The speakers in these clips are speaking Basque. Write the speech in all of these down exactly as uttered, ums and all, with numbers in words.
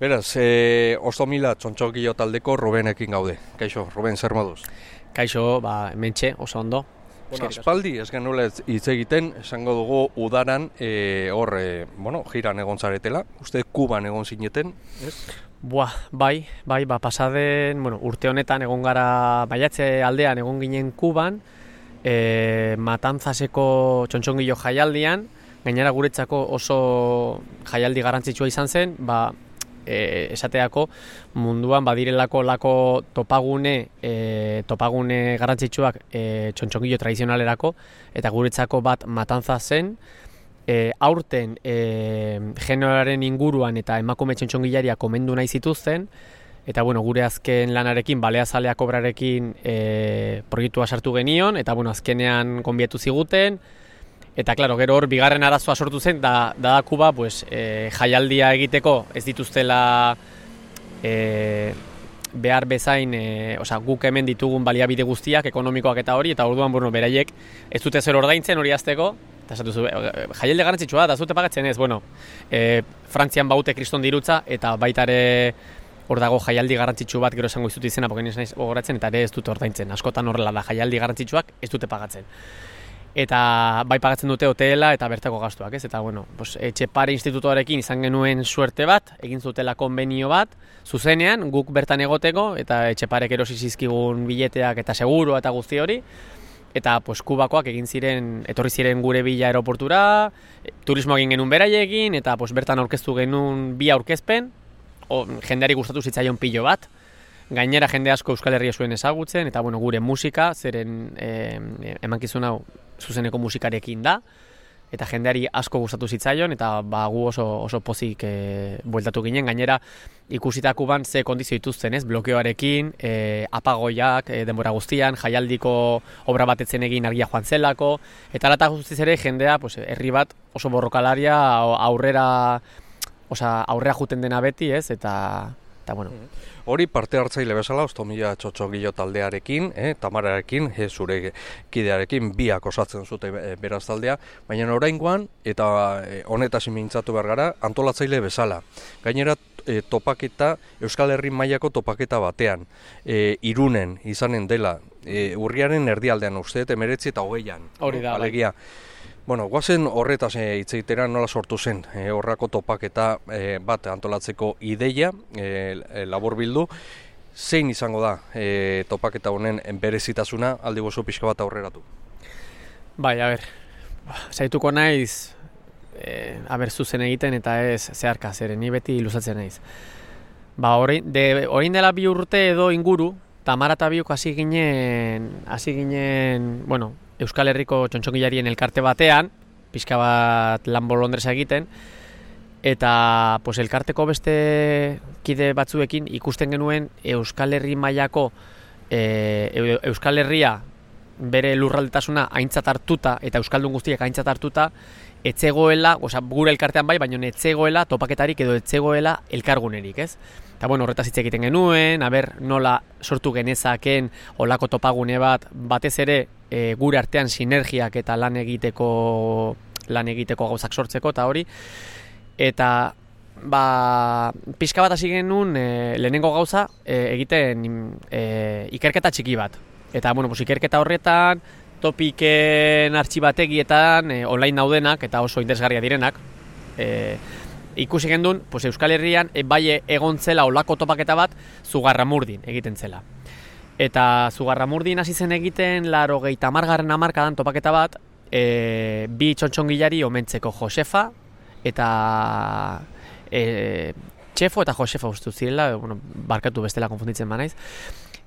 Beraz, e, Ostomila txontxokilo taldeko Rubenekin gaude. Kaixo, Ruben, zer moduz? Kaixo, ba, mentxe, oso ondo. Bueno, aspaldi, ez genuela hitz egiten, esango dugu udaran, e, hor, e, bueno, jiran egon zaretela, uste Kuban egon zineten, ez? Buah, bai, bai, ba, pasaden, bueno, urte honetan egon gara, baiatze aldean egon ginen Kuban, e, Matanzaseko txontxongilo jaialdian, gainera guretzako oso jaialdi garrantzitsua izan zen, ba, E, esateako munduan badirelako lako topagune e, topagune garrantzitsuak e, txontxongilo tradizionalerako eta guretzako bat Matanza zen. E, aurten e, generoaren inguruan eta emakume txontxongilaria komendu nahi zituzten eta bueno, gure azken lanarekin Baleazalea kobrarekin e, proiektua sartu genion eta bueno, azkenean konbietu ziguten. Eta, klaro, gero hor, bigarren arazoa sortu zen, da, da Kuba, pues, e, jaialdia egiteko ez dituztela e, behar bezain, e, osea, guk hemen ditugun baliabide guztiak, ekonomikoak eta hori, eta orduan, bueno, beraiek ez dute zer ordaintzen hori azteko, eta esatu zu, jaialdi garrantzitsua da, ez dute pagatzen ez, bueno, e, Frantzian baute kriston dirutza, eta baitare hor dago jaialdi garrantzitsu bat, gero esango izut izena, poken izan gogoratzen, eta ere ez dute ordaintzen, askotan horrela da, jaialdi garrantzitsuak ez dute pagatzen. Eta bai pagatzen dute hotela eta bertako gastuak, ez? Eta bueno, pues Etxepare institutoarekin izan genuen suerte bat, egin zutela konbenio bat, zuzenean guk bertan egoteko eta Etxeparek erosi zizkigun bileteak eta segurua eta guzti hori. Eta pues Kubakoak egin ziren, etorri ziren gure bila aeroportura, turismo egin genuen beraiekin eta pues bertan aurkeztu genuen bi aurkezpen, o, jendeari gustatu zitzaion pilo bat. Gainera jende asko Euskal Herria zuen ezagutzen eta bueno, gure musika, zeren eh, emankizun hau zuzeneko musikarekin da eta jendeari asko gustatu zitzaion eta ba, gu oso, oso pozik e, bueltatu ginen. Gainera ikusita Kuban ze kondizio dituzten, ez? Blokeoarekin, e, apagoiak e, denbora guztian, jaialdiko obra batetzen egin argia joan zelako eta alata guztiz ere jendea pues, herri bat oso borrokalaria aurrera, osea, aurrera juten dena beti, ez? Eta Eta, bueno. Hori parte hartzaile bezala, Ostomila txotxongilo taldearekin, eh, Tamararekin, eh, zure kidearekin, biak osatzen zute eh, beraz taldea, baina oraingoan, eta eh, honetaz mintzatu behar gara, antolatzaile bezala. Gainera, eh, topaketa, Euskal Herri mailako topaketa batean, eh, Irunen izanen dela, eh, urriaren erdialdean uste, emeretzi eta hogeian. Hori da, alegia. Bueno, guazen horretaz hitz egitera nola sortu zen e, horrako topaketa e, bat antolatzeko ideia, e, e, labur bildu. Zein izango da e, topaketa honen berezitasuna aldi gozu pixka bat aurreratu? Bai, a ber, zaituko naiz, e, a ber, zuzen egiten eta ez zeharka, zeren ni beti luzatzen naiz. Ba, orain de, orain dela bi urte edo inguru, Tamara eta biok hasi ginen, hasi ginen, bueno, Euskal Herriko txontxongilarien elkarte batean, pixka bat lan bolondresa egiten, eta pues, elkarteko beste kide batzuekin ikusten genuen Euskal Herri mailako e, Euskal Herria bere lurraldetasuna aintzat hartuta eta euskaldun guztiak aintzat hartuta etzegoela, osea, gure elkartean bai, baina etzegoela topaketarik edo etzegoela elkargunerik, ez? Eta bueno, horretaz hitz egiten genuen, aber nola sortu genezaken olako topagune bat, batez ere e, gure artean sinergiak eta lan egiteko lan egiteko gauzak sortzeko eta hori. Eta ba, pixka bat hasi genuen e, lehenengo gauza e, egiten e, ikerketa txiki bat. Eta bueno, pues, ikerketa horretan topiken artxibategietan e, online daudenak eta oso interesgarria direnak. E, ikusi gendun, pues, Euskal Herrian e, bai egon zela olako topaketa bat Zugarramurdin egiten zela. Eta Zugarramurdin hasi zen egiten laurogeita hamargarren hamarkadan topaketa bat e, bi txontxongilari omentzeko Josefa eta e, Txefo eta Josefa uste zirela, bueno, barkatu bestela konfunditzen banaiz.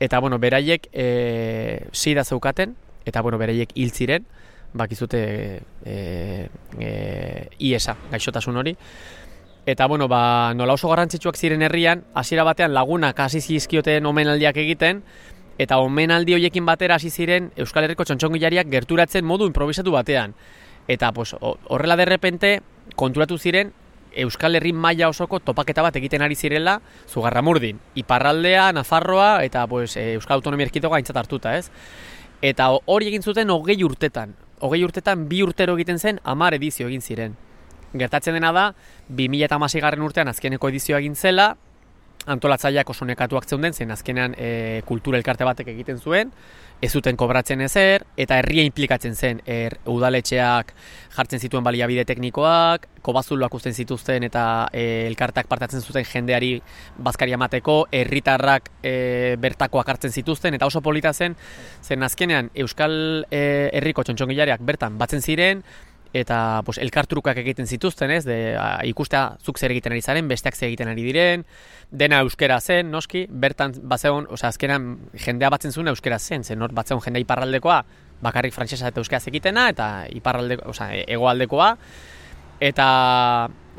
Eta bueno, beraiek e, sida zeukaten eta bueno, beraiek hil ziren, bakizute e, e, iesa, gaixotasun hori. Eta bueno, ba, nola oso garrantzitsuak ziren herrian, hasiera batean lagunak hasi zizkioten omenaldiak egiten, eta omenaldi horiekin batera hasi ziren Euskal Herriko txontxongilariak gerturatzen modu improvisatu batean. Eta pues, horrela derrepente konturatu ziren Euskal Herri maila osoko topaketa bat egiten ari zirela Zugarramurdin, iparraldea, Nafarroa eta pues, Euskal Autonomia Erkidegoa aintzat hartuta, ez? Eta hori egin zuten hogei urtetan. Hogei urtetan bi urtero egiten zen hamar edizio egin ziren. gertatzen dena da, bi mila hamaseigarren urtean azkeneko edizioa egin zela, antolatzaileak oso nekatuak zeuden, zen azkenean e, kultura elkarte batek egiten zuen, ez zuten kobratzen ezer, eta herria implikatzen zen, er, udaletxeak jartzen zituen baliabide teknikoak, kobazuloak uzten zituzten eta e, elkarteak partatzen zuten jendeari bazkaria emateko, herritarrak e, bertakoak hartzen zituzten, eta oso polita zen, zen azkenean Euskal e, Herriko txontxongilariak bertan batzen ziren, eta pues, elkartrukak egiten zituzten, ez, de, a, ikustea zuk zer egiten ari zaren, besteak zer egiten ari diren, dena euskera zen, noski, bertan batzeon, osea, azkenan jendea batzen zuen euskera zen, zen hor batzeon jendea iparraldekoa, bakarrik frantsesa eta euskera zekitena, eta iparraldeko, osea, hegoaldekoa, eta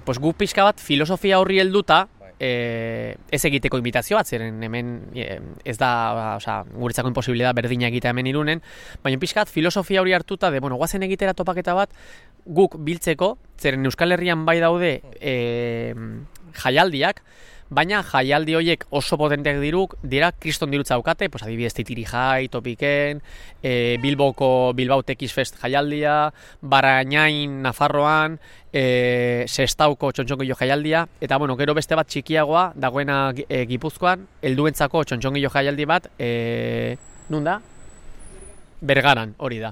pues, gu pixka bat filosofia horri helduta, E, ez egiteko invitazio bat, zeren hemen e, ez da, osea, guretzako imposibilidad berdina egitea hemen Irunen, baina pixkat filosofia hori hartuta de, bueno, guazen egitera topaketa bat guk biltzeko, zeren Euskal Herrian bai daude e, jaialdiak, baina jaialdi horiek oso potenteak diruk, dira kriston dirutza daukate, pues adibidez Titiri Jai, Topiken, e, Bilboko Bilbao Tekiz Fest jaialdia, Barainain Nafarroan, e, Sestauko txontxongilo jaialdia, eta bueno, gero beste bat txikiagoa, dagoena e, Gipuzkoan, helduentzako txontxongilo jaialdi bat, e, nun da? Bergaran, hori da.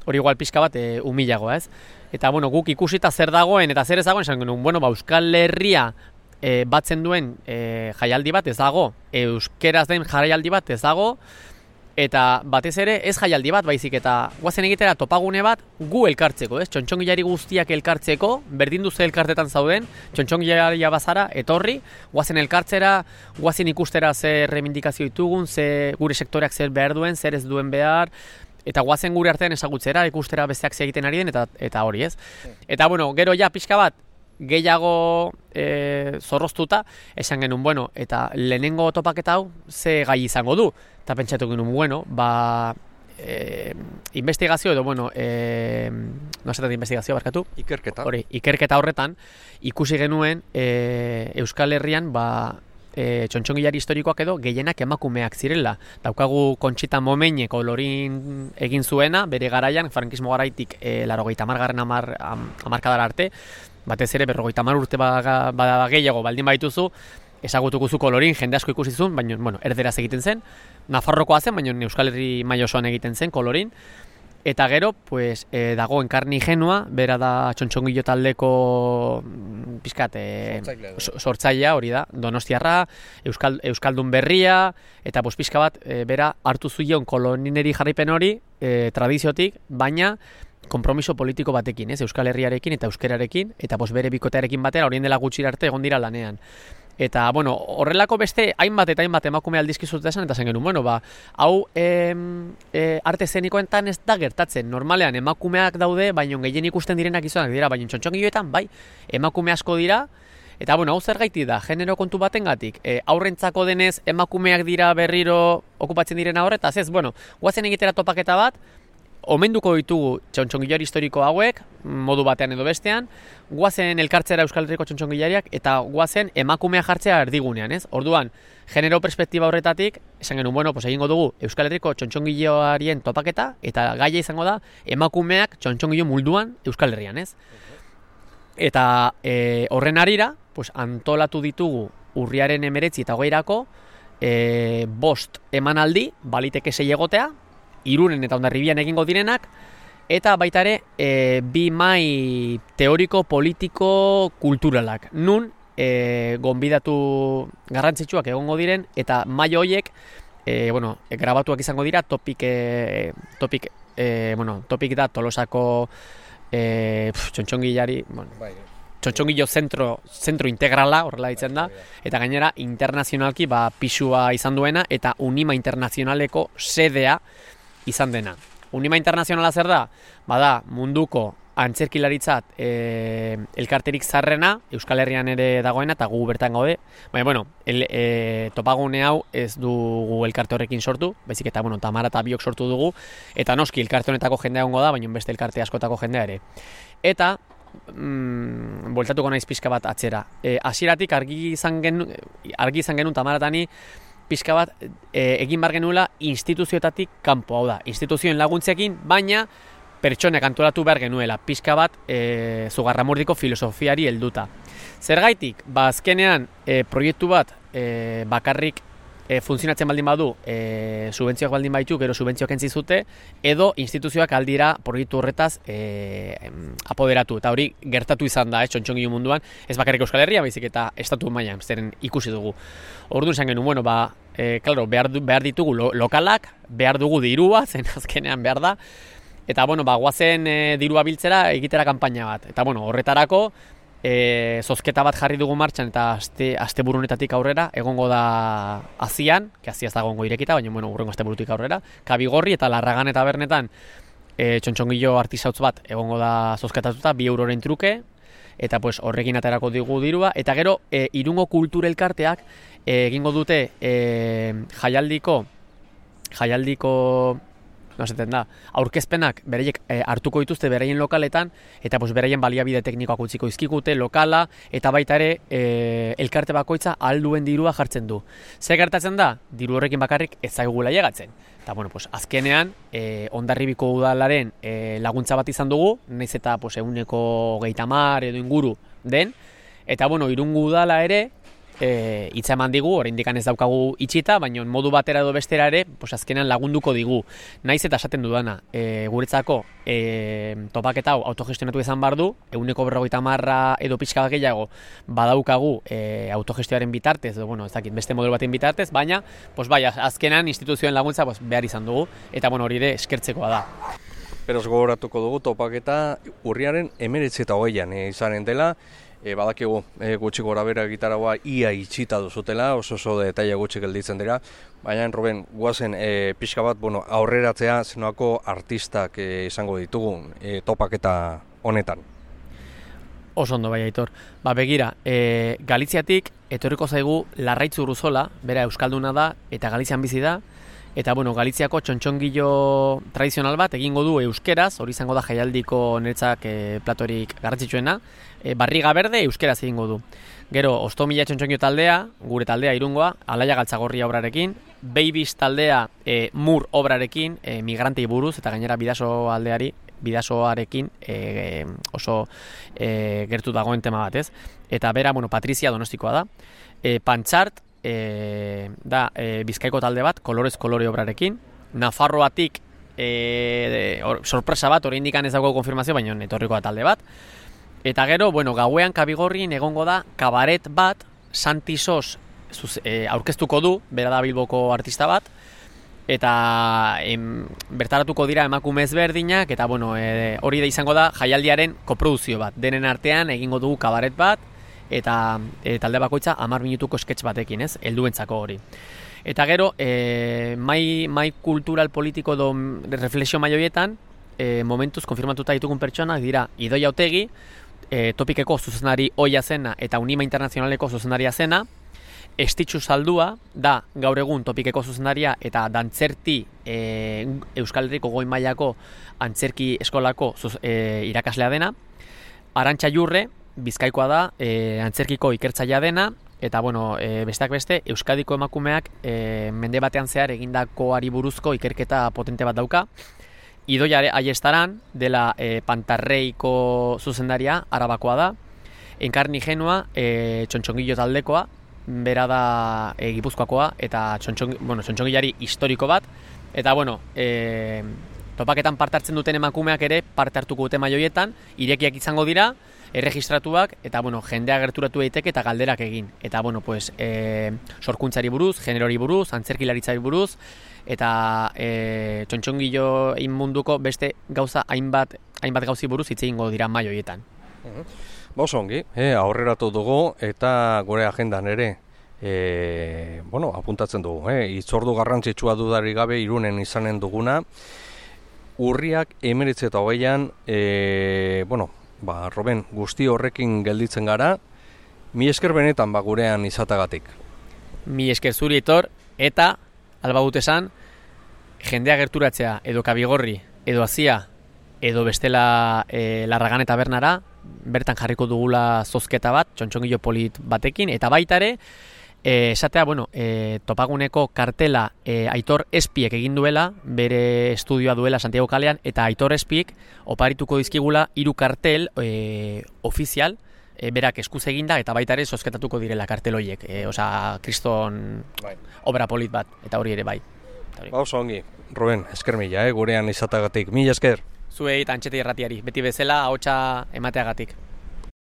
Hori igual pixka bat e, humilagoa, ez? Eta bueno, guk ikusita zer dagoen eta zer ez dagoen, esan genuen, bueno, ba, Euskal Herria E, batzen duen e, jaialdi bat ez dago, euskeraz den jaialdi bat ez dago, eta batez ere ez jaialdi bat, baizik eta guazen egitera topagune bat gu elkartzeko, ez? Txontxongilari guztiak elkartzeko, berdin duzu elkartetan zauden, txontxongilaria bazara, etorri, guazen elkartzera, guazen ikustera zer reivindikazio ditugun, ze gure sektoreak zer behar duen, zer ez duen behar, eta guazen gure artean ezagutzera, ikustera besteak ze egiten ari den, eta, eta hori, ez? Eta bueno, gero ja pixka bat, gehiago e, zorroztuta, esan genuen, bueno, eta lehenengo topaketa hau ze gai izango du, eta pentsatu genuen, bueno, ba, e, investigazio edo, bueno, e, no esaten investigazio, barkatu? Ikerketa. Hori, ikerketa horretan, ikusi genuen e, Euskal Herrian, ba, e, txontxongilari historikoak edo gehienak emakumeak zirela. Daukagu Kontxita Momenye kolorin egin zuena, bere garaian, frankismo garaitik e, larogeita hamargarren amar, am, amarkadara arte, batez ere berrogeita hamar urte bada ba, gehiago baldin baituzu, ezagutuko kolorin, jende asko ikusi zuen, baina, bueno, erderaz egiten zen, Nafarrokoa zen, baina Euskal Herri maila osoan egiten zen kolorin, eta gero, pues, e, dago Enkarni Genua, bera da txontxongilo taldeko pizkat, e, sortzailea, hori da, Donostiarra, Euskal, Euskaldun berria, eta pues, pizka bat, e, bera hartu zuion kolonineri jarraipen hori, e, tradiziotik, baina konpromiso politiko batekin, ez? Euskal Herriarekin eta euskerarekin, eta pos bere bikotearekin batera, horien dela gutxi arte egon dira lanean. Eta, bueno, horrelako beste hainbat eta hainbat emakume aldizkizut esan, eta zen genuen, bueno, ba, hau e, e, arte zenikoetan ez da gertatzen. Normalean, emakumeak daude, baino gehien ikusten direnak izonak dira, baino txontxongiloetan, bai, emakume asko dira, eta, bueno, hau zer gaiti da, genero kontu batengatik, e, aurrentzako denez emakumeak dira berriro okupatzen direna horretaz, ez, bueno, guazen egitera topaketa bat, omenduko ditugu txontxongilari historiko hauek, modu batean edo bestean, guazen elkartzera Euskal Herriko txontxongilariak eta guazen emakumea jartzea erdigunean, ez? Orduan, genero perspektiba horretatik, esan genuen, bueno, pues egingo dugu Euskal Herriko txontxongiloarien topaketa, eta gaia izango da emakumeak txontxongilo mulduan Euskal Herrian, ez? Eta e, horren arira, pues, antolatu ditugu urriaren emeretzi eta hogeirako, e, bost emanaldi, baliteke sei egotea, Irunen eta Hondarribian egingo direnak, eta baita ere e, bi mai teoriko, politiko, kulturalak. Nun e, gonbidatu garrantzitsuak egongo diren, eta mai horiek e, bueno, e, grabatuak izango dira, topik, e, topik, e, bueno, topik da Tolosako e, txontxongilari, bueno, txontxongilo zentro, zentro integrala, horrela ditzen da, eta gainera internazionalki ba, pisua izan duena, eta Unima Internazionaleko sedea izan dena. Unima Internazionala zer da? Bada munduko antzerkilaritzat e, elkarterik zarrena, Euskal Herrian ere dagoena, eta gu bertan gaude. Baina, bueno, el, e, topagune hau ez dugu elkarte horrekin sortu, baizik eta, bueno, Tamara eta biok sortu dugu, eta noski elkarte honetako jendea egongo da, baina beste elkarte askotako jendea ere. Eta, mm, bueltatuko naiz pixka bat atzera. E, hasieratik argi izan genuen, argi izan genuen Tamaratani, pixka bat e, egin bar genuela instituzioetatik kanpo, hau da, instituzioen laguntzekin, baina pertsonek antolatu behar genuela, pixka bat e, Zugarramurdiko filosofiari helduta. Zergaitik, ba azkenean e, proiektu bat e, bakarrik e, funtzionatzen baldin badu, e, subentzioak baldin baitu, gero subentzioak entzi zute, edo instituzioak aldira proiektu horretaz e, apoderatu. Eta hori gertatu izan da, eh, txontxongilu munduan, ez bakarrik Euskal Herria, baizik eta estatu mailan, zeren ikusi dugu. Orduan esan genuen, bueno, ba, e, claro, behar, behar ditugu lo, lokalak, behar dugu dirua, zen azkenean behar da, eta, bueno, ba, guazen e, dirua biltzera egitera kanpaina bat. Eta, bueno, horretarako, E, zozketa bat jarri dugu martxan eta aste, aste burunetatik aurrera egongo da azian, que azia ez da egongo irekita, baina bueno, urrengo aste burutik aurrera, Kabigorri eta Larragan eta Bernetan e, txontxongilo artisautz bat egongo da zozketatuta, bi euroren truke, eta pues, horrekin aterako digu dirua, eta gero e, Irungo Kultur Elkarteak e, egingo dute e, jaialdiko, jaialdiko, no esaten da, aurkezpenak bereiek e, hartuko dituzte beraien lokaletan, eta pues, beraien baliabide teknikoak utziko izkigute, lokala, eta baita ere e, elkarte bakoitza ahal duen dirua jartzen du. Zer gertatzen da? Diru horrekin bakarrik ez zaigula llegatzen. Eta bueno, pues, azkenean, e, Hondarribiko udalaren e, laguntza bat izan dugu, naiz eta pues, eguneko geita mar edo inguru den, eta bueno, Irungo udala ere, E, hitza eman digu, oraindik ez daukagu itxita, baina modu batera edo bestera ere, pues azkenean lagunduko digu. Naiz eta esaten dudana, e, guretzako e, topaketa hau autogestionatu izan behar du, eguneko berrogeita hamarra edo pixka gehiago badaukagu e, autogestioaren bitartez, edo, bueno, ez dakit, beste modelo baten bitartez, baina pues, bai, azkenean instituzioen laguntza pues, behar izan dugu, eta bueno, hori ere eskertzekoa da. Beraz gogoratuko dugu topaketa urriaren hemeretzi eta hogeian e, izanen dela. E, badakigu e, gutxi gora bera gitarragoa ia itxita duzutela, oso oso detaile gutxi gelditzen dira, baina Ruben, guazen e, pixka bat bueno, aurreratzea zenoako artistak e, izango ditugun e, topaketa honetan. Oso ondo bai, Aitor. Ba, begira, e, Galiziatik etorriko zaigu Larraitz Urruzola, bera euskalduna da eta Galizian bizi da. Eta, bueno, Galiziako txontxongilo tradizional bat egingo du euskeraz, hori izango da jaialdiko niretzak e, platorik garrantzitsuena, e, barriga berde euskeraz egingo du. Gero, Ostomila txontxongilo taldea, gure taldea Irungoa, Alaia Galtzagorria obrarekin, Babies taldea e, Mur obrarekin, e, migrantei buruz, eta gainera bidaso aldeari, bidasoarekin e, oso e, gertu dagoen tema bat, ez? Eta bera, bueno, Patrizia Donostikoa da, e, Pantxart, E, da e, Bizkaiko talde bat, kolorez kolore obrarekin, Nafarroatik e, or, sorpresa bat, oraindik ez dago konfirmazio, baina etorriko da talde bat. Eta gero, bueno, gauean Kabigorrin egongo da kabaret bat, Santi Sos e, aurkeztuko du, bera da Bilboko artista bat, eta em, bertaratuko dira emakume ezberdinak, eta bueno, e, hori da izango da jaialdiaren koproduzio bat, denen artean egingo dugu kabaret bat, eta e, talde bakoitza hamar minutuko sketch batekin, ez, helduentzako hori. Eta gero, e, mai, mai kultural politiko do reflexio maioietan, e, momentuz konfirmatuta ditugun pertsonak dira Idoia Otegi, e, Topikeko zuzenari Oia zena eta Unima Internazionaleko zuzenaria zena, Estitxu Saldua da gaur egun Topikeko zuzenaria eta dantzerti e, Euskal Herriko goi mailako antzerki eskolako zuz, e, irakaslea dena, Arantxa Jurre, Bizkaikoa da, e, antzerkiko ikertzailea dena, eta bueno, e, besteak beste, Euskadiko emakumeak e, mende batean zehar egindakoari buruzko ikerketa potente bat dauka. Idoia Aiestaran, dela e, Pantarreiko zuzendaria, Arabakoa da. Enkarni Genua, e, txontxongilo taldekoa, bera da e, Gipuzkoakoa, eta txontxong, bueno, txontxongilari historiko bat. Eta bueno, e, topaketan parte hartzen duten emakumeak ere parte hartuko dute maioietan, irekiak izango dira, erregistratuak, eta bueno, jendea gerturatu daiteke eta galderak egin. Eta bueno, pues, e, sorkuntzari buruz, generori buruz, antzerkilaritzari buruz, eta e, txontxongilo munduko beste gauza hainbat, hainbat gauzi buruz hitz egingo dira maioietan. Oso ongi, e, aurreratu dugu eta gure agendan ere e, bueno, apuntatzen dugu. E, itzordu garrantzitsua dudari gabe Irunen izanen duguna. Urriak hemeretzi eta hogeian, e, bueno, ba, Ruben, guzti horrekin gelditzen gara, mi esker benetan ba gurean izatagatik. Mi esker zuri, Aitor, eta alba dut esan, jendea gerturatzea edo Kabigorri, edo Azia, edo bestela e, Larragan eta Bernara, bertan jarriko dugula zozketa bat, txontxongilo polit batekin, eta baita ere, E, esatea, bueno, e, topaguneko kartela e, Aitor Espiek egin duela, bere estudioa duela Santiago kalean, eta Aitor Espiek oparituko dizkigula hiru kartel e, ofizial, e, berak eskuz eginda, eta baita ere zozketatuko direla kartel horiek. E, Osa, kriston bai. Obra polit bat, eta hori ere bai. Ba, oso ongi. Ruben, esker mila, eh, gurean izatagatik. Mila esker. Zuei eta Antxeti Erratiari, beti bezala ahotsa emateagatik.